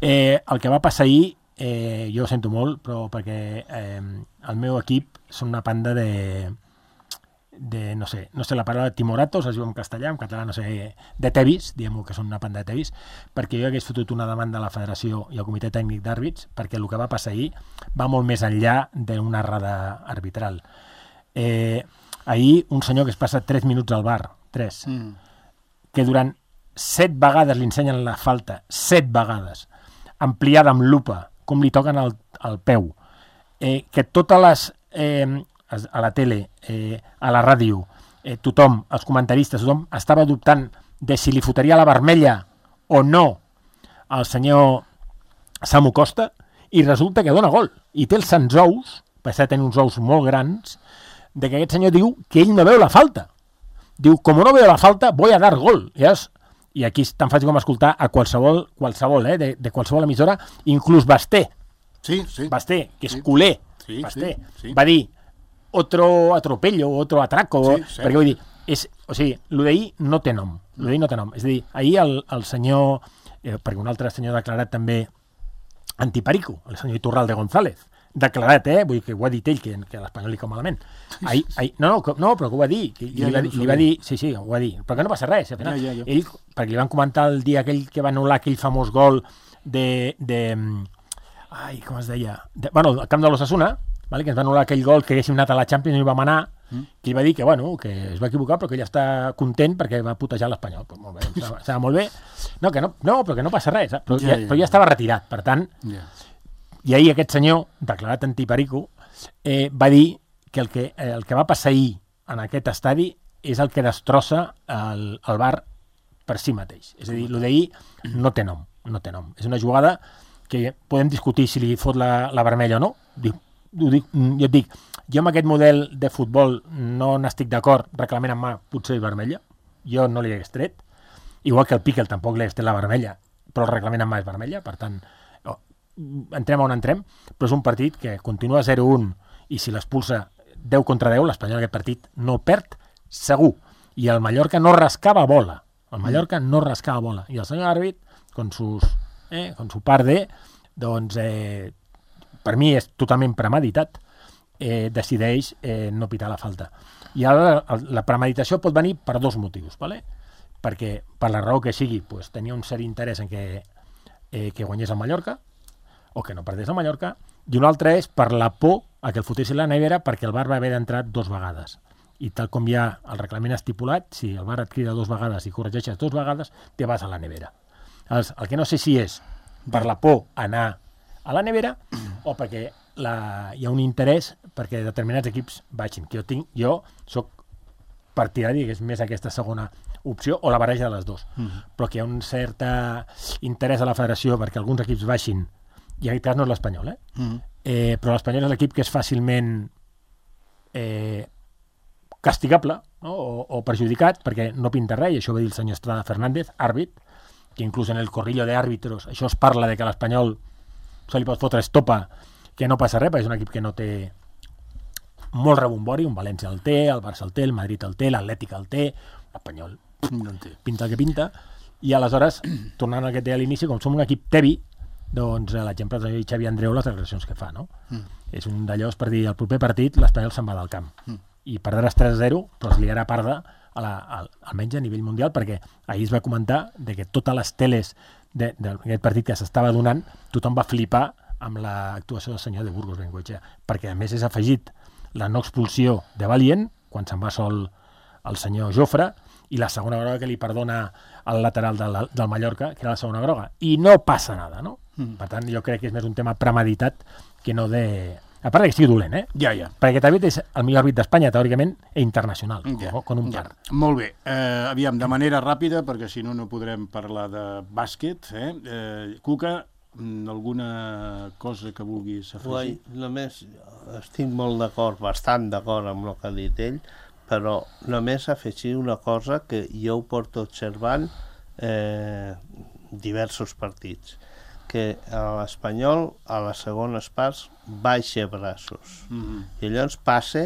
El que va passar ahir, jo ho sento molt, però perquè el meu equip són una panda de no sé la paraula timoratos, es diu en castellà, en català no sé, de tevis, diguem-ho que són una panda de tevis, perquè jo hagués fotut una demanda a la Federació i al Comitè Tècnic d'Àrbits, perquè el que va passar ahir va molt més enllà d'una errada arbitral. Ahir un senyor que es passa 3 minuts al bar, 3, que durant 7 vegades li ensenyen la falta, 7 vegades, ampliada amb lupa, com li toquen al peu, que totes les a la tele, a la ràdio, tothom, els comentaristes, tothom estava dubtant de si li fotria la vermella o no al senyor Samu Costa, i resulta que dona gol, i té els sants ous, perquè tenir uns ous molt grans, de que aquest senyor diu que ell no veu la falta. Diu, com no veu la falta, voy a dar gol. I aquí és tan fàcil com escoltar a qualsevol de qualsevol emissora, inclús Basté. Basté, que és culer. Basté. Va dir, otro atropello, otro atraco, perquè vull dir, el d'ahir no té nom. És a dir, ahir el senyor, perquè un altre senyor ha declarat també antiperico, el senyor Iturralde González, declarat, vull dir que ho ha dit ell, que a l'Espanyol li cau malament. No, però que ho va dir, li va dir, sí, ho va dir, però que no passa res, al final. Ell, perquè li van comentar el dia aquell que va anul·lar aquell famós gol com es deia? Al camp de l'Osasuna, que ens va anul·lar aquell gol que haguéssim anat a la Champions i no hi vam anar, que ell va dir que es va equivocar, però que ell està content perquè va putejar l'Espanyol. Pues molt bé, estava molt bé. No, però que no passa res, però ja estava retirat, per tant. I ahir aquest senyor, declarat antiperico, va dir que el que va passar ahir en aquest estadi és el que destrossa el VAR per si mateix. És a dir, el d'ahir no té nom. És una jugada que podem discutir si li fot la vermella o no. Jo et dic, jo amb aquest model de futbol no n'estic d'acord, reglament en mà potser vermella, jo no li hagués tret, igual que el Piquel tampoc li hagués tret la vermella, però el reglament en mà és vermella, per tant, entrem on entrem, però és un partit que continua 0-1 i si l'expulsa 10 contra 10, l'Espanyol aquest partit no perd segur. i el Mallorca no rascava bola. El Mallorca no rascava bola. I el senyor àrbit, con su par de, doncs, per mi és totalment premeditat, decideix no pitar la falta. I ara la premeditació pot venir per dos motius, ¿vale? Perquè per la raó que sigui, pues, tenia un cert interès en que guanyés el Mallorca, o que no perdés el Mallorca, i un altre és per la por a que el fotessin la nevera perquè el VAR va haver d'entrar 2 vegades. I tal com hi ha el reglament estipulat, si el VAR et crida 2 vegades i corregeixes 2 vegades, te vas a la nevera. El que no sé si és per la por a anar a la nevera o perquè hi ha un interès perquè determinats equips baixin. Que jo soc partidari que és més aquesta segona opció o la barreja de les dues. Però que hi ha un cert interès a la federació perquè alguns equips baixin, i en aquest cas no és l'Espanyol, però l'Espanyol és l'equip que és fàcilment castigable, no? o perjudicat perquè no pinta res, i això va dir el senyor Estrada Fernández, àrbit, que inclús en el corrillo de àrbitros això es parla de que l'Espanyol se li pot fotre estopa, que no passa res, perquè és un equip que no té molt rebombori, un València el té, el Barça el té, el Madrid el té, l'Atlètic el té, l'Espanyol no pinta el que pinta, i aleshores, tornant al que té a l'inici, com som un equip tebi, doncs l'exemple de Xavi Andreu, les declaracions que fa, no? És un d'allò per dir, el proper partit l'Espanyol se'n va del camp, i perdràs 3-0, però es liarà parda almenys a nivell mundial, perquè ahir es va comentar de que totes les teles d'aquest partit que s'estava donant, tothom va flipar amb l'actuació del senyor de Burgos Bengoechea, perquè a més és afegit la no expulsió de Valient, quan se'n va sol el senyor Jofre, i la segona groga que li perdona al lateral del Mallorca, que era la segona groga, i no passa nada, no? Per tant, jo crec que és més un tema premeditat que no de... A part que sigui dolent, Ja. Perquè aquest àrbit és el millor àrbit d'Espanya, teòricament, i internacional, con un par. Molt bé. Aviam, de manera ràpida, perquè si no podrem parlar de bàsquet. Cuca, alguna cosa que vulguis afegir? Només estic molt d'acord, bastant d'acord amb el que ha dit ell, però només afegir una cosa que jo ho porto observant diversos partits, que l'Espanyol a les segones parts baixa braços i llavors passa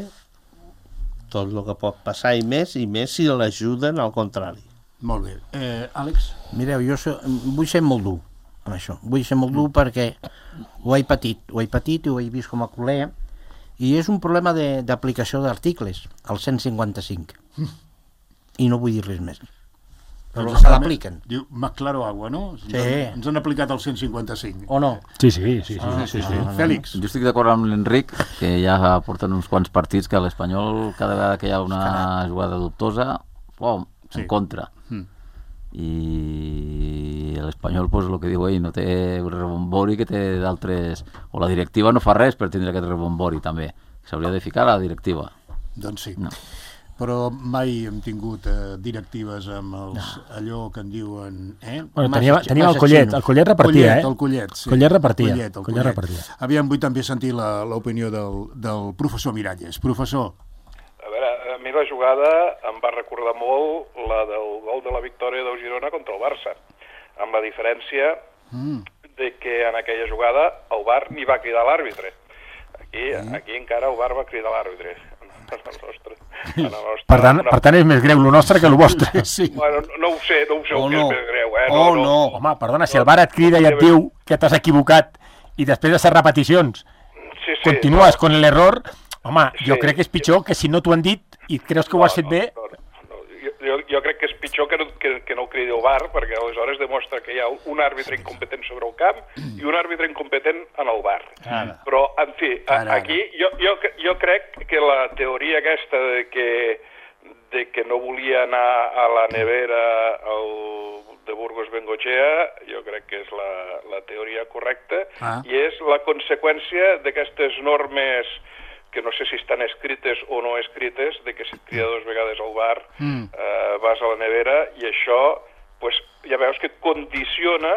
tot el que pot passar i més si l'ajuden al contrari. Molt bé. Àlex? Mireu, jo vull ser molt dur amb això, vull ser molt dur perquè ho he patit i ho he vist com a col·lega, i és un problema d'aplicació d'articles, el 155, i no vull dir res més. Però se l'apliquen. Diu, más claro agua, no? Sí. Ens han aplicat el 155. O no? Sí. Fèlix? Jo estic d'acord amb l'Enric, que ja porten uns quants partits que l'Espanyol, cada vegada que hi ha una jugada dubtosa, en contra. I l'Espanyol, pues, el que diu ell, no té un rebombori que té d'altres... O la directiva no fa res per tindre aquest rebombori, també. S'hauria de ficar a la directiva. Doncs sí. No. Però mai hem tingut directives amb allò que en diuen... Bueno, teníem el Collet repartia, El Collet, sí. Collet repartia. Aviam, vull també sentir l'opinió del professor Miralles. Professor. A veure, a mi la jugada em va recordar molt la del gol de la victòria del Girona contra el Barça, amb la diferència de que en aquella jugada el VAR ni va cridar l'àrbitre. Aquí encara el VAR va cridar l'àrbitre. Per tant és més greu el nostre que el vostre. Sí. Bueno, no ho sé el que és més greu. No. Home, perdona, si el VAR et crida i et diu que t'has equivocat i després de ser repeticions continues con l'error, home, jo crec que és pitjor que si no t'ho han dit i creus que ho has fet bé. Jo crec que és pitjor que no ho cridi el VAR, perquè aleshores demostra que hi ha un àrbitre incompetent sobre el camp i un àrbitre incompetent en el VAR. Però, en fi, aquí jo crec que la teoria aquesta de que no volia anar a la nevera de Burgos Bengoechea, jo crec que és la teoria correcta, i és la conseqüència d'aquestes normes que no sé si estan escrites o no escrites, de que si et crida 2 vegades al bar vas a la nevera, i això, pues, ja veus que condiciona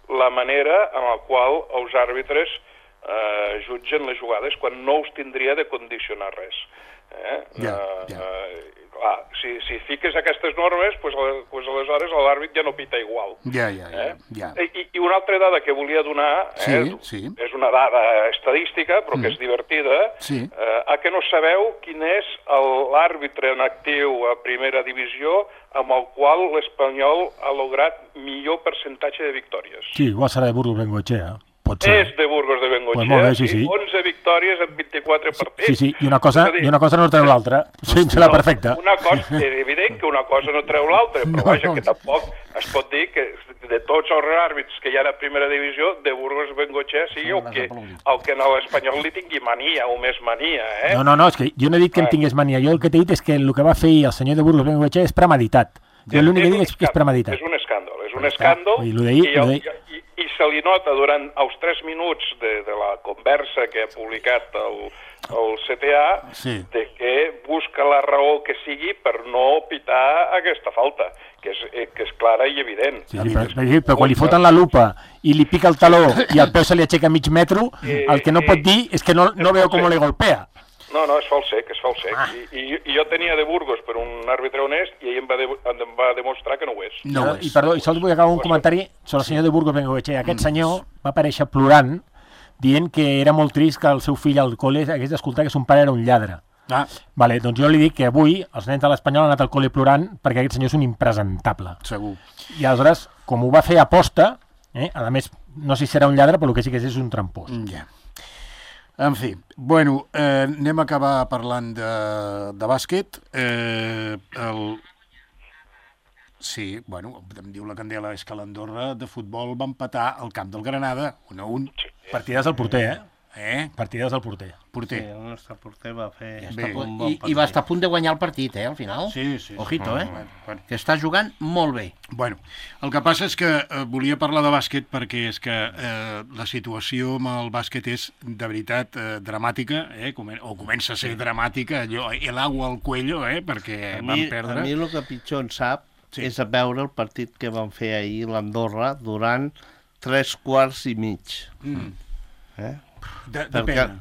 la manera en la qual els àrbitres jutgen les jugades, quan no us tindria de condicionar res. clar, si fiques aquestes normes, pues aleshores l'àrbit ja no pita igual. Ja. I una altra dada que volia donar, sí. és una dada estadística, però que és divertida, a que no sabeu quin és l'àrbitre en actiu a primera divisió amb el qual l'Espanyol ha lograt millor percentatge de victòries. Sí, igual serà de Burgos Bengoechea. És de Burgos de Bengoechea, pues molt bé, sí. 11 victòries en 24 partits. Sí, i una cosa no treu l'altra. Sí, serà perfecte. És evident que una cosa no treu l'altra, però vaja, que tampoc es pot dir que de tots els àrbits que hi ha a primera divisió, de Burgos Bengoechea sigui el que a l'Espanyol li tingui mania o més mania. No, és que jo no he dit que em tingués mania. Jo el que t'he dit és que el que va fer el senyor de Burgos Bengoechea és premeditat. Jo l'únic que dic és que és premeditat. És un escàndol, i se li nota durant els 3 minuts de la conversa que ha publicat el CTA de que busca la raó que sigui per no pitar aquesta falta, que és clara i evident. Però quan li foten la lupa i li pica el taló i el peu se li aixeca mig metro, el que no pot dir és que no veu com le golpea. No, és falsec. I jo tenia de Burgos per un àrbitre honest i ell em va demostrar que no ho és. I perdó, i sols vull acabar un comentari sobre el senyor de Burgos Bengoechea. Aquest senyor va aparèixer plorant, dient que era molt trist que el seu fill al col·le hagués d'escoltar que son pare era un lladre. Vale, doncs jo li dic que avui els nens de l'Espanyol han anat al col·le plorant perquè aquest senyor és un impresentable. Segur. I aleshores, com ho va fer aposta, a més, no sé si serà un lladre, però el que sí que és un trampós. Ja. En fi, bueno, anem a acabar parlant de bàsquet. Sí, bueno, em diu la Candela, és que l'Andorra de futbol va empatar al camp del Granada, 1-1. Partides al porter, Partides al porter. Sí, el nostre porter va fer un bon partit. I va estar a punt de guanyar el partit, al final. Sí. Ojito, que està jugant molt bé. Bueno, el que passa és que volia parlar de bàsquet perquè és que la situació amb el bàsquet és de veritat dramàtica, o comença a ser dramàtica, allò, l'agua al cuello, perquè van perdre. A mi el que pitjor em sap és a veure el partit que van fer ahir l'Andorra durant 3 quarts i mig. De pena.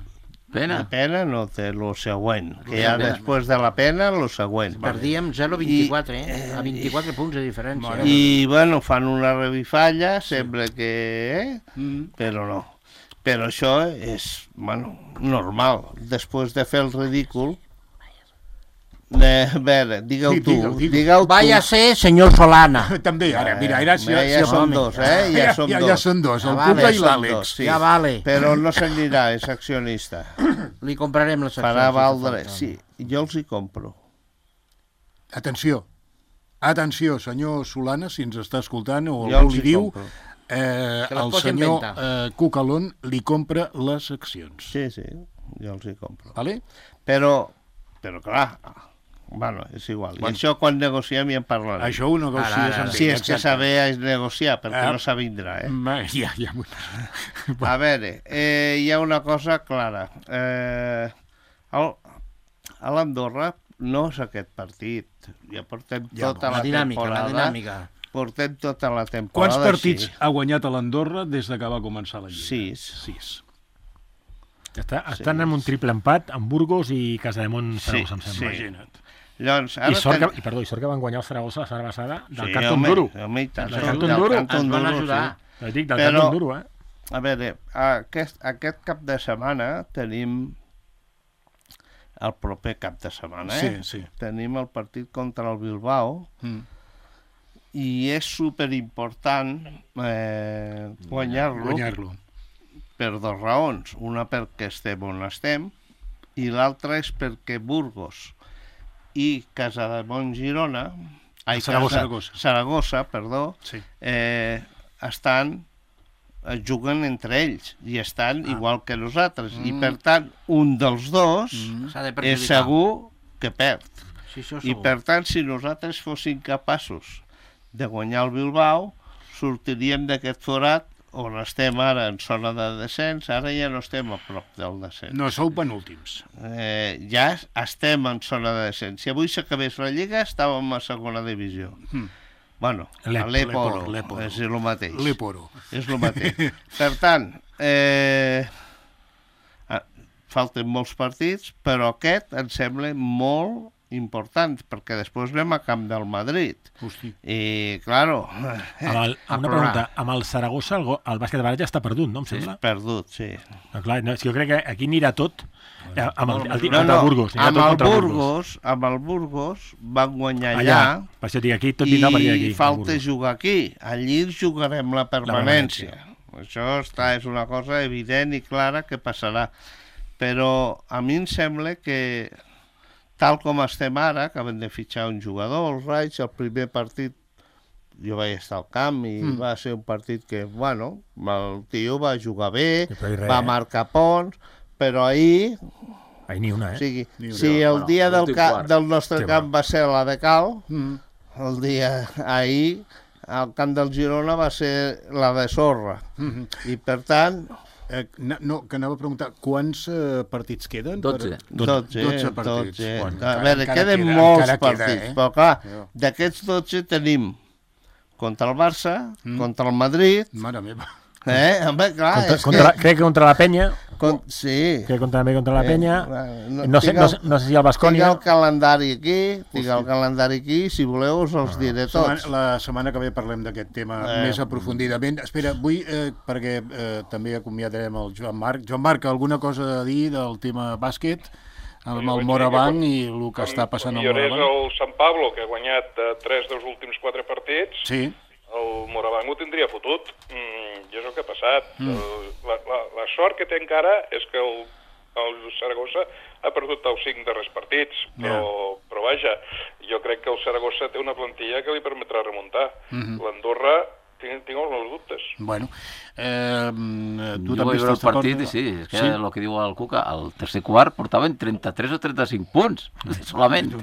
De pena no té el següent, que ja després de la pena, el següent. Perdíem 0-24, a 24 punts de diferència. I, bueno, fan una revifalla, sembla que... però no. Però això és, bueno, normal. Després de fer el ridícul... A veure, digue-ho tu. Vaya ser, senyor Solana. També, ara, mira, ja són dos, Ja són dos, el Cuca i l'Àlex. Ja vale. Però no s'anirà, és accionista. Li comprarem les accions. Farà valdre, sí, jo els hi compro. Atenció, senyor Solana, si ens està escoltant o algú li diu, el senyor Cucalón li compra les accions. Sí, jo els hi compro. Vale? Però clar... Bueno, és igual. I això quan negociem ja en parlarem. Això ho negocies amb ell. Si és que saber negociar, perquè no s'avindrà, Ja. A veure, hi ha una cosa clara. A l'Andorra no és aquest partit. Ja portem tota la temporada. Portem tota la temporada. Quants partits ha guanyat a l'Andorra des que va començar la Lliga? 6. Estan en un triple empat amb Burgos i Casademont Saragossa, em sembla. Imagina't. I sort que van guanyar el Saragossa la setmana passada del Carton Duro. Home, i tant. Del Carton Duro. Ens van ajudar. Dic, del Carton Duro, A veure, aquest cap de setmana tenim el proper cap de setmana, tenim el partit contra el Bilbao i és superimportant guanyar-lo per 2 raons. Una perquè estem on estem i l'altra és perquè Burgos i Casademont Girona, Saragossa, juguen entre ells i estan igual que nosaltres i per tant un dels dos és segur que perd. I per tant si nosaltres fóssim capaços de guanyar el Bilbao sortiríem d'aquest forat on estem ara en zona de descens, ara ja no estem a prop del descens. No, sou penúltims. Ja estem en zona de descens. Si avui s'acabés la Lliga, estàvem a segona divisió. Bueno, a l'Eporo, és el mateix. L'Eporo. És el mateix. Per tant, falten molts partits, però aquest em sembla molt importants, perquè després anem a Camp del Madrid. Hosti. I, claro... Una pregunta, amb el Saragossa el bàsquet de Baralla està perdut, no, em sembla? És perdut, sí. Clar, no, jo crec que aquí anirà tot amb el Burgos. Amb el Burgos van guanyar allà. Per això dic, aquí tot vindrà per aquí. I falta jugar aquí. Allí jugarem la permanència. Això és una cosa evident i clara que passarà. Però a mi em sembla que, tal com estem ara, acabem de fitxar un jugador, el Raig, el primer partit, jo vaig estar al camp i va ser un partit que, bueno, el tio va jugar bé, va marcar punts, però ahir... Ahir ni una, O sigui, si el dia del nostre camp va ser la de Cal, el dia ahir, al camp del Girona va ser la de sorra. I, per tant... No, que anava a preguntar, quants partits queden? 12. 12 partits. A veure, queden molts partits, però clar, d'aquests 12 tenim contra el Barça, contra el Madrid... Mare meva. Home, clar, crec que contra la Penya. Sí. Crec que també contra la Penya. No sé si el Baskonia... Tinc el calendari aquí, si voleu us els diré tots. La setmana que ve parlem d'aquest tema més aprofundidament. Espera, vull, perquè també acomiadarem el Joan Marc. Joan Marc, alguna cosa a dir del tema bàsquet? Amb el Morabanc i el que està passant al Morabanc? Millorés el Sant Pablo, que ha guanyat 3 dels últims 4 partits. Sí. El Morabanc ho tindria fotut. I és el que ha passat. La sort que té encara és que el Saragossa ha perdut els 5 darrers partits, però vaja, jo crec que el Saragossa té una plantilla que li permetrà remuntar. L'Andorra tinc els meus dubtes. Bueno, tu jo també vaig veure el estàs d'acord? partit i sí, és que el que diu el Cuca, el tercer quart portaven 33 o 35 punts, solament.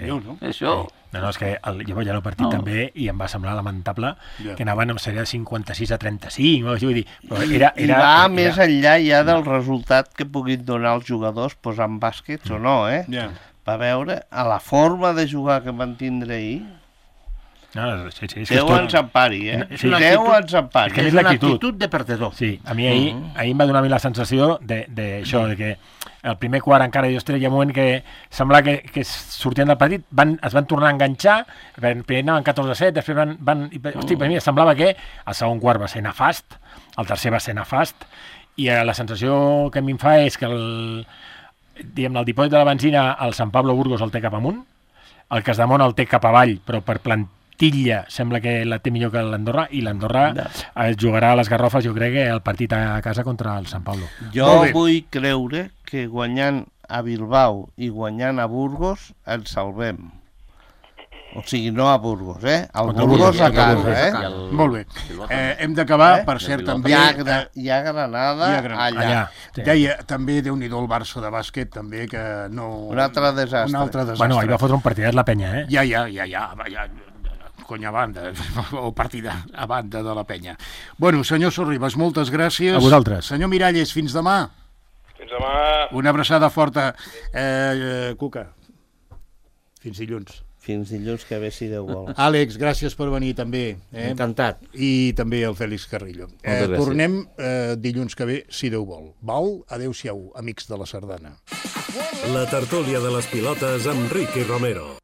Això... No, és que jo vaig anar al partit també i em va semblar lamentable que anaven amb sèrie de 56 a 35, vull dir, però I va més enllà ja del resultat que puguin donar els jugadors posant bàsquets o no, Va veure a la forma de jugar que van tindre ahir. Déu ens empari, Déu ens empari. És una actitud de perdedor. Sí, a mi ahir em va donar la sensació d'això, de que el primer quart encara hi ha un moment que semblava que sortien del partit, es van tornar a enganxar, primer anaven 14-7, després hosti, per mi semblava que el segon quart va ser nefast, el tercer va ser nefast, i la sensació que a mi em fa és que el dipòsit de la benzina, el Sant Pablo Burgos el té cap amunt, el Casademont el té cap avall, però per plantilla sembla que la té millor que l'Andorra, i l'Andorra jugarà a les Garrofes, jo crec, el partit a casa contra el Sant Pablo. Jo vull creure que guanyant a Bilbao i guanyant a Burgos ens salvem. O sigui, no a Burgos, al Burgos a casa, Molt bé. Hem d'acabar, per cert, també... Hi ha Granada allà. Deia, també, Déu-n'hi-do, el Barça de bàsquet, també, que no... Un altre desastre. Bueno, ahir va fotre un partidet la Penya, Ja, conya banda, o partida a banda de la Penya. Bueno, senyor Sorribas, moltes gràcies. A vosaltres. Senyor Miralles, fins demà. Fins demà. Una abraçada forta. Cuca, fins dilluns. Fins dilluns que ve, si Déu vol. Àlex, gràcies per venir també. Encantat. I també el Fèlix Carrillo. Tornem dilluns que ve, si Déu vol. Val? Adéu-siau, amics de la Sardana. La tertúlia de les pilotes amb Ricky Romero.